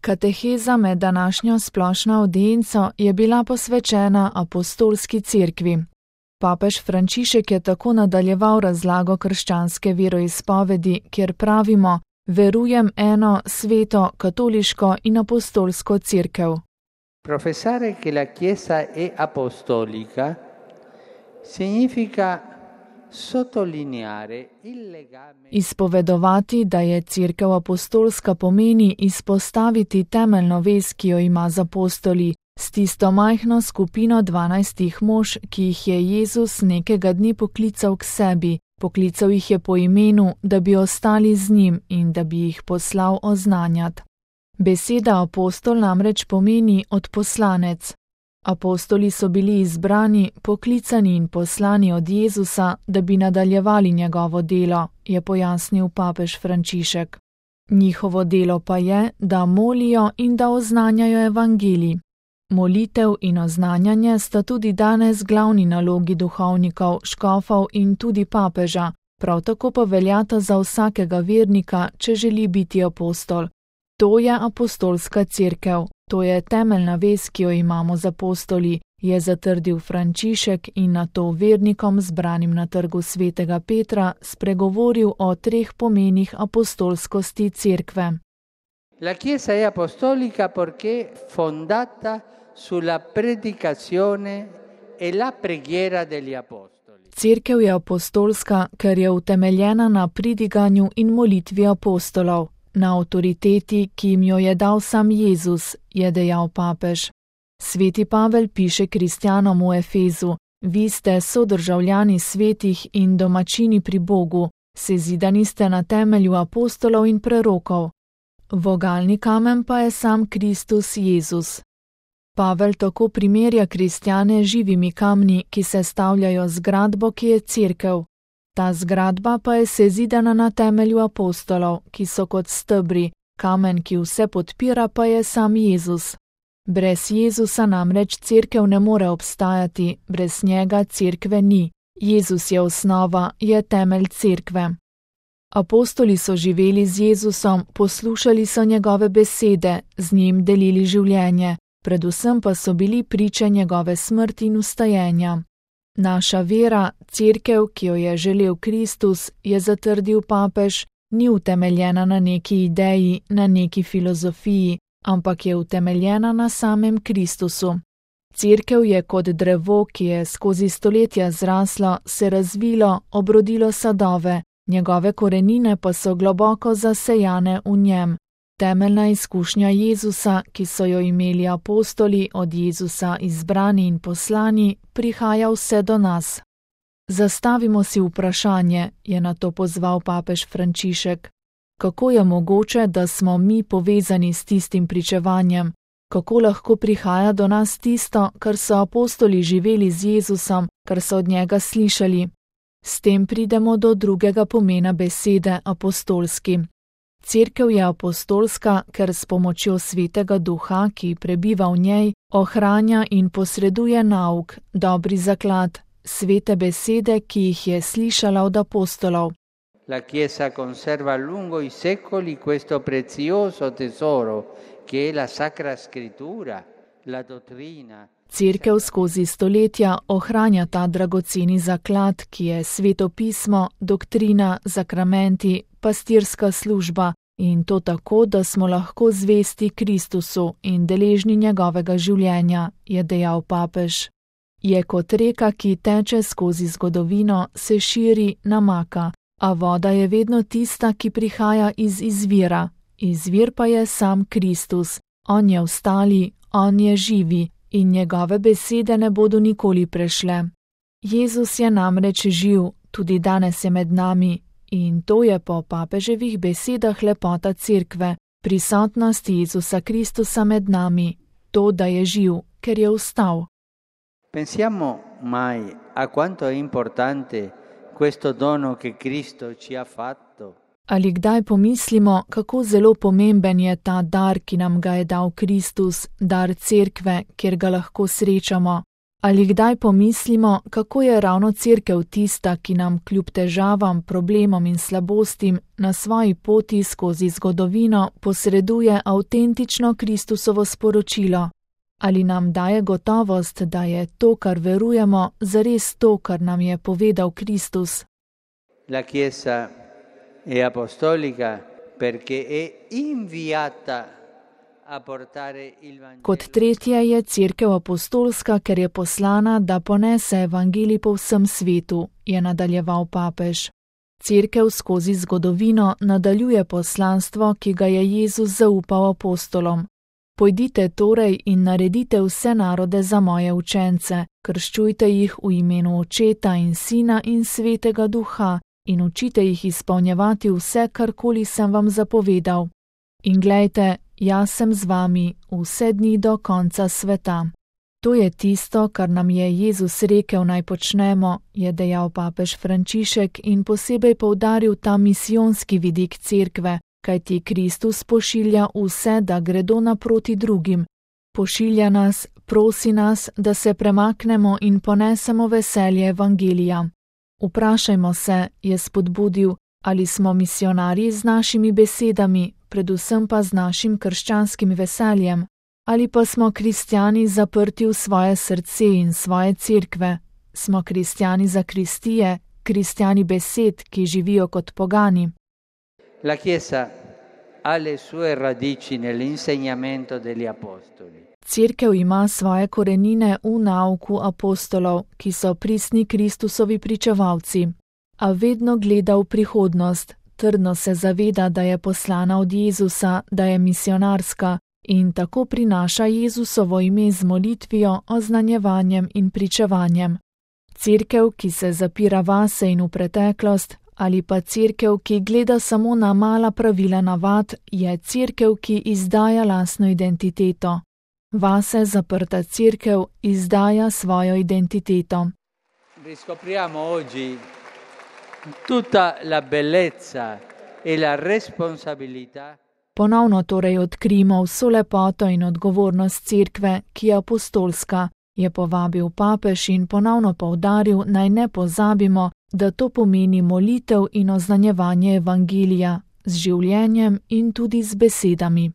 Kateheza med današnjo splošno avdienco je bila posvečena apostolski cerkvi. Papež Frančišek je tako nadaljeval razlago krščanske veroizpovedi, kjer pravimo: verujem eno sveto, katoliško in apostolsko cerkev. Professare che la Chiesa è apostolica significa sottolineare il legame. Izpovedovati, da je cerkev apostolska, pomeni izpostaviti temeljno vez, ki jo ima z apostoli, s tisto majhno skupino 12 mož, ki jih je Jezus nekega dne poklical k sebi. Poklical jih je po imenu, da bi ostali z njim in da bi jih poslal oznanjati. Beseda apostol namreč pomeni odposlanec. Apostoli so bili izbrani, poklicani in poslani od Jezusa, da bi nadaljevali njegovo delo, je pojasnil papež Frančišek. Njihovo delo pa je, da molijo in da oznanjajo evangelij. Molitev in oznanjanje sta tudi danes glavni nalogi duhovnikov, škofov in tudi papeža, prav tako pa veljata za vsakega vernika, če želi biti apostol. To je apostolska cerkev, to je temeljna vez, ki jo imamo z apostoli, je zatrdil Frančišek in nato vernikom zbranim na trgu svetega Petra spregovoril o 3 pomenih apostolskosti cerkve. La Chiesa è apostolica perché fondata sulla predicazione e la preghiera degli apostoli. Cerkev je apostolska, ker je utemeljena na pridiganju in molitvi apostolov, na avtoriteti, ki jim jo je dal sam Jezus, je dejal papež. Sveti Pavel piše kristjanom v Efezu: vi ste sodržavljani svetih in domačini pri Bogu, sezidani ste na temelju apostolov in prerokov. Vogalni kamen pa je sam Kristus Jezus. Pavel tako primerja kristjane živimi kamni, ki se stavljajo zgradbo, ki je cerkev. Ta zgradba pa je sezidana na temelju apostolov, ki so kot stebri, kamen, ki vse podpira, pa je sam Jezus. Brez Jezusa namreč cerkev ne more obstajati, brez njega cerkve ni. Jezus je osnova, je temelj cerkve. Apostoli so živeli z Jezusom, poslušali so njegove besede, z njim delili življenje, predvsem pa so bili priče njegove smrti in vstajenja. Naša vera, cerkev, ki jo je želel Kristus, je zatrdil papež, ni utemeljena na neki ideji, na neki filozofiji, ampak je utemeljena na samem Kristusu. Cerkev je kot drevo, ki je skozi stoletja zraslo, se razvilo, obrodilo sadove, njegove korenine pa so globoko zasejane v njem. Temeljna izkušnja Jezusa, ki so jo imeli apostoli, od Jezusa izbrani in poslani, prihaja vse do nas. Zastavimo si vprašanje, je nato pozval papež Frančišek. Kako je mogoče, da smo mi povezani s tistim pričevanjem? Kako lahko prihaja do nas tisto, kar so apostoli živeli z Jezusom, kar so od njega slišali? S tem pridemo do drugega pomena besede apostolski. Cerkev je apostolska, ker s pomočjo Svetega Duha, ki prebiva v njej, ohranja in posreduje nauk, dobri zaklad, svete besede, ki jih je slišala od apostolov. La Chiesa conserva lungo i secoli questo prezioso tesoro che è la Sacra Scrittura, la dottrina. Cerkev skozi stoletja ohranja ta dragoceni zaklad, ki je Sveto pismo, doktrina, sakramenti, pastirska služba, in to tako, da smo lahko zvesti Kristusu in deležni njegovega življenja, je dejal papež. Je kot reka, ki teče skozi zgodovino, se širi, namaka, a voda je vedno tista, ki prihaja iz izvira. Izvir pa je sam Kristus. On je ostali, on je živi in njegove besede ne bodo nikoli prešle. Jezus je namreč živ, tudi danes je med nami. In to je po papeževih besedah lepota cerkve, prisotnost Jezusa Kristusa med nami, to, da je živ, ker je vstal. Pensiamo mai a quanto è importante questo dono che Cristo ci ha fatto? Ali kdaj pomislimo, kako zelo pomemben je ta dar, ki nam ga je dal Kristus, dar cerkve, kjer ga lahko srečamo? Ali kdaj pomislimo, kako je ravno cerkev tista, ki nam kljub težavam, problemom in slabostim na svoji poti skozi zgodovino posreduje avtentično Kristusovo sporočilo? Ali nam daje gotovost, da je to, kar verujemo, zares to, kar nam je povedal Kristus? La Chiesa è apostolica perché è inviata a portare il Vangelo. Kot tretje je cerkev apostolska, ker je poslana, da ponese evangelij po vsem svetu, je nadaljeval papež. Cerkev skozi zgodovino nadaljuje poslanstvo, ki ga je Jezus zaupal apostolom. Pojdite torej in naredite vse narode za moje učence, krščujte jih v imenu Očeta in Sina in Svetega Duha in učite jih izpolnjevati vse, karkoli sem vam zapovedal. In glejte, jaz sem z vami vse dni do konca sveta. To je tisto, kar nam je Jezus rekel naj počnemo, je dejal papež Frančišek in posebej poudaril ta misijonski vidik cerkve, kajti Kristus pošilja vse, da gredo naproti drugim. Pošilja nas, prosi nas, da se premaknemo in ponesemo veselje evangelija. Vprašajmo se, je spodbudil, ali smo misijonarji z našimi besedami, predvsem pa z našim krščanskim veseljem, ali pa smo kristjani zaprti v svoje srce in svoje cerkve. Smo kristjani zakristije, kristjani besed, ki živijo kot pogani. La Chiesa ha le sue radici nell'insegnamento degli apostoli. Cerkev ima svoje korenine v nauku apostolov, ki so pristni Kristusovi pričevalci. A vedno gleda v prihodnost, trdno se zaveda, da je poslana od Jezusa, da je misionarska in tako prinaša Jezusovo ime z molitvijo, oznanjevanjem in pričevanjem. Cerkev, ki se zapira vase in v preteklost, ali pa cerkev, ki gleda samo na mala pravila navad, je cerkev, ki izdaja lastno identiteto. Vase zaprta cerkev izdaja svojo identiteto. Riscopriamo oggi tutta la bellezza e la responsabilità. Ponovno torej odkrijemo vso lepoto in odgovornost cerkve, ki je apostolska, je povabil papež in ponovno poudaril, naj ne pozabimo, da to pomeni molitev in oznanjevanje evangelija z življenjem in tudi z besedami.